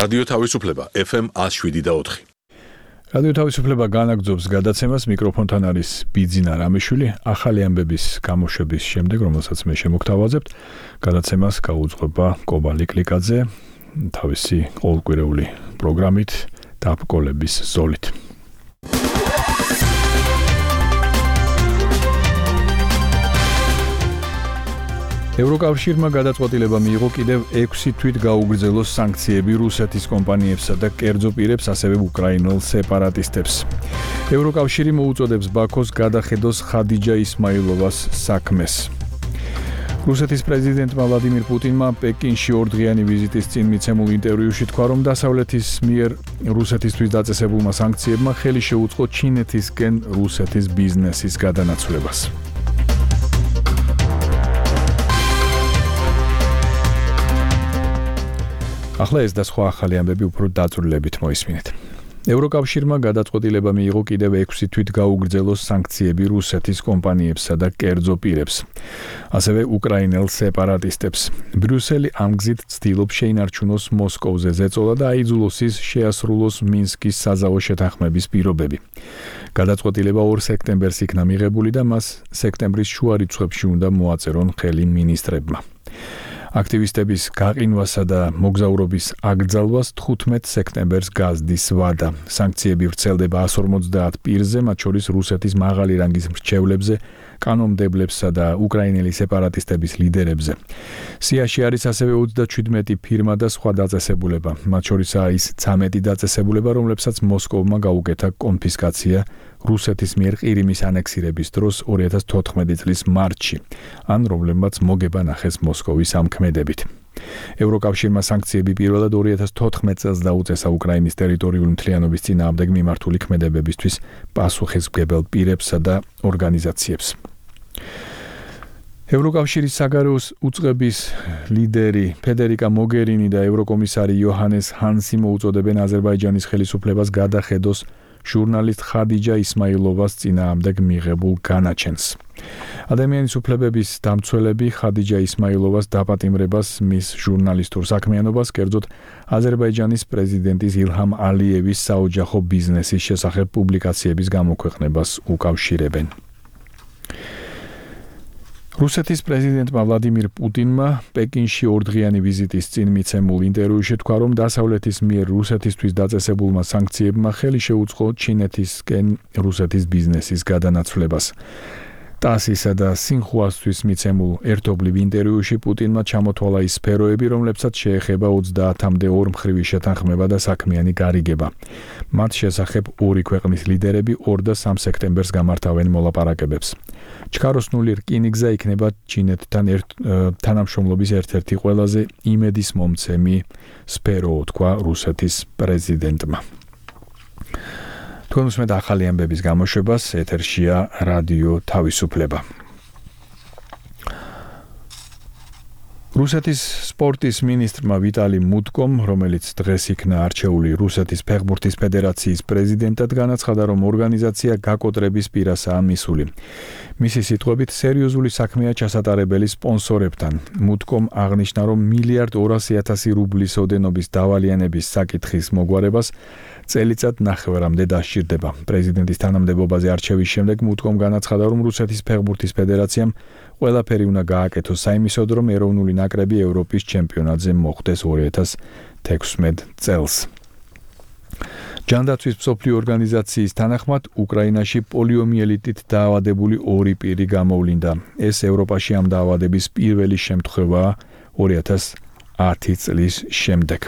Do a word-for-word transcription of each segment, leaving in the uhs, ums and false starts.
რადიო თავისუფლება ეფ ემ one oh seven point four. რადიო თავისუფლება განაგრძობს გადაცემას, მიკროფონთან არის ბიძინა რამიშვილი. ახალი ამბების გამოშვების შემდეგ, რომელსაც მე შემოგთავაზებთ, გადაცემას გაუძღვება კობა ლიკლიკაძე თავისი ყოველკვირეული პროგრამით დაბკოლების ზოლით. ევროკავშირმა გადაწყვეტილება მიიღო კიდევ ექვსი თვით გაუგრძელოს სანქციები რუსეთის კომპანიებსა და კერძო პირებს, ასევე უკრაინელ სეპარატისტებს. ევროკავშირი მოუწოდებს ბაქოს გადახედოს ხადიჯა ისმაილოვას საქმეს. რუსეთის პრეზიდენტმა ვლადიმირ პუტინმა პეკინში ორდღიანი ვიზიტის წინ მიცემულ ინტერვიუში თქვა, რომ დასავლეთის მიერ რუსეთისთვის დაწესებულმა სანქციებმა ხელი შეუწყო ჩინეთისკენ რუსეთის ბიზნესის გადანაცვლებას. ახლა ეს და სხვა ახალი ამბები უფრო დაწვრილებით მოისმინეთ. ევროკავშირმა გადაწყვეტილება მიიღო კიდევ ექვსი თვით გაუგრძელოს სანქციები რუსეთის კომპანიებსა და კერძო პირებს, ასევე უკრაინელ სეპარატისტებს. ბრიუსელი ამ გზით ცდილობს შეინარჩუნოს მოსკოვზე ზეწოლა და აიძულოს ის შეასრულოს მინსკის საზავო შეთანხმების პირობები. გადაწყვეტილება ორ სექტემბერს იქნა მიღებული და მას სექტემბრის შუა რიცხვებში უნდა მოაწერონ ხელი მინისტრებმა. აქტივისტების გაყინვასა და მოგზაურობის აკრძალვას თხუთმეტ სექტემბერს გაზდის ვადა. სანქციები ვრცელდება one forty პირზე, მათ შორის რუსეთის მაღალი რანგის მრჩევლებზე, კანონმდებლებსა და უკრაინელი სეპარატისტების ლიდერებზე. სიაში არის ასევე ოცდაშვიდმეტი ფირმა და სხვა დაწესებულება, მათ შორისაა ის ცამეტი დაწესებულება, რომლებსაც მოსკოვმა გაუკეთა კონფისკაცია რუსეთის მიერ ყირიმის ანექსირების დროს ორი ათას თოთხმეტი წლის მარტში, ან რომლებმაც მოგება ნახეს მოსკოვის ამქმედებით. ევროკავშირმა სანქციები პირველად ორი ათას თოთხმეტ წელს დაუწესა უკრაინის ტერიტორიული მთლიანობის წინააღმდეგ მიმართული ქმედებებისთვის პასუხისმგებელ პირებსა და ორგანიზაციებს. ევროკავშირის საგარეო უწყების ლიდერი ფედერიკა მოგერინი და ევროკომისარი იოჰანეს ჰანსი მოუწოდებენ აზერბაიჯანის ხელისუფლებას გადახედოს ჟურნალისტ ხადიჯა ისმაილოვას წინააღმდეგ მიღებულ განაჩენს. ადამიანის უფლებების დამცველები ხადიჯა ისმაილოვას დაპატიმრებას, მის ჟურნალისტურ საქმიანობას, კერძოდ აზერბაიჯანის პრეზიდენტის ილჰამ ალიევის საოჯახო ბიზნესის შესახებ პუბლიკაციების გამოქვეყნებას უკავშირებენ. რუსეთის პრეზიდენტმა ვლადიმირ პუტინმა პეკინში ორდღიანი ვიზიტის წინ მიცემულ ინტერვიუში თქვა, რომ დასავლეთის მიერ რუსეთისთვის დაწესებულმა სანქციებმა ხელი შეუწყო ჩინეთისკენ რუსეთის ბიზნესის გადანაცვლებას. ტასისა და სინხუასთვის მიცემულ ერთობლივ ინტერვიუში პუტინმა ჩამოთვალა ის სფეროები, რომლებსაც შეეხება ოცდაათამდე ორმხრივი შეთანხმება და საქმიანი გარიგება. მათ შესახებ ორი ქვეყნის ლიდერები ორ და სამ სექტემბერს გამართავენ მოლაპარაკებებს. ჩქაროსნული რკინიგზა იქნება ჩინეთთან ერთ თანამშრომლობის ერთ-ერთი ყველაზე იმედისმომცემი სფეროა, თქვა რუსეთის პრეზიდენტმა. თქვენ უსმენთ ახალი ამბების გამოშვებას, ეთერშია რადიო თავისუფლება. რუსეთის სპორტის მინისტრმა ვიტალი მუტკომ, რომელიც დღეს იქნა არჩეული რუსეთის ფეხბურთის ფედერაციის პრეზიდენტად, განაცხადა, რომ ორგანიზაცია გაკოტრების პირასაა მისული. მისი სიტყვებით, სერიოზული საქმეა ჩასატარებელი სპონსორებთან. მუტკომ აღნიშნა, რომ მილიარდ ორასი ათასი რუბლის ოდენობის დავალიანების საკითხის მოგვარებას წელიწად ნახევრამდე დასჭირდება. პრეზიდენტის თანამდებობაზე არჩევის შემდეგ მუტკომ განაცხადა, რომ რუსეთის ფეხბურთის ფედერაციამ ყველაფერი უნდა გააკეთოს საიმისოდ, რომ ეროვნული ნაკრები ევროპის ჩემპიონატზე მოხვდეს ორი ათას თექვსმეტ წელს. ჯანდაცვის მსოფლიო ორგანიზაციის თანახმად, უკრაინაში პოლიომიელიტით დაავადებული ორი პირი გამოვლინდა. ეს ევროპაში ამ დაავადების პირველი შემთხვევაა ორი ათას ათი წლის შემდეგ.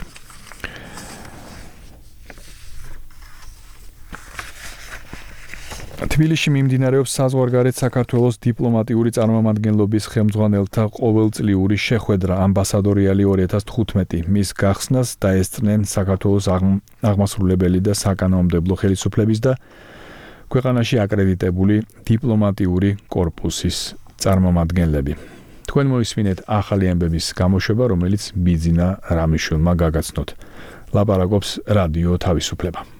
თბილისში მიმდინარეობს საზღვარგარეთ საქართველოს დიპლომატიური წარმომადგენლობის ხელმძღვანელთა ყოველწლიური შეხვედრა ამბასადორიალი ორი ათას თხუთმეტი. მის გახსნას დაესწრნენ საქართველოს აღმასრულებელი და საკანონმდებლო ხელისუფლების და ქვეყანაში აკრედიტებული დიპლომატიური კორპუსის წარმომადგენლები. თქვენ მოისმინეთ ახალი ამბების გამოშვება, რომელიც ბიძინა რამიშვილმა გაგაცნოთ. ლაპარაკობს რადიო თავისუფლება.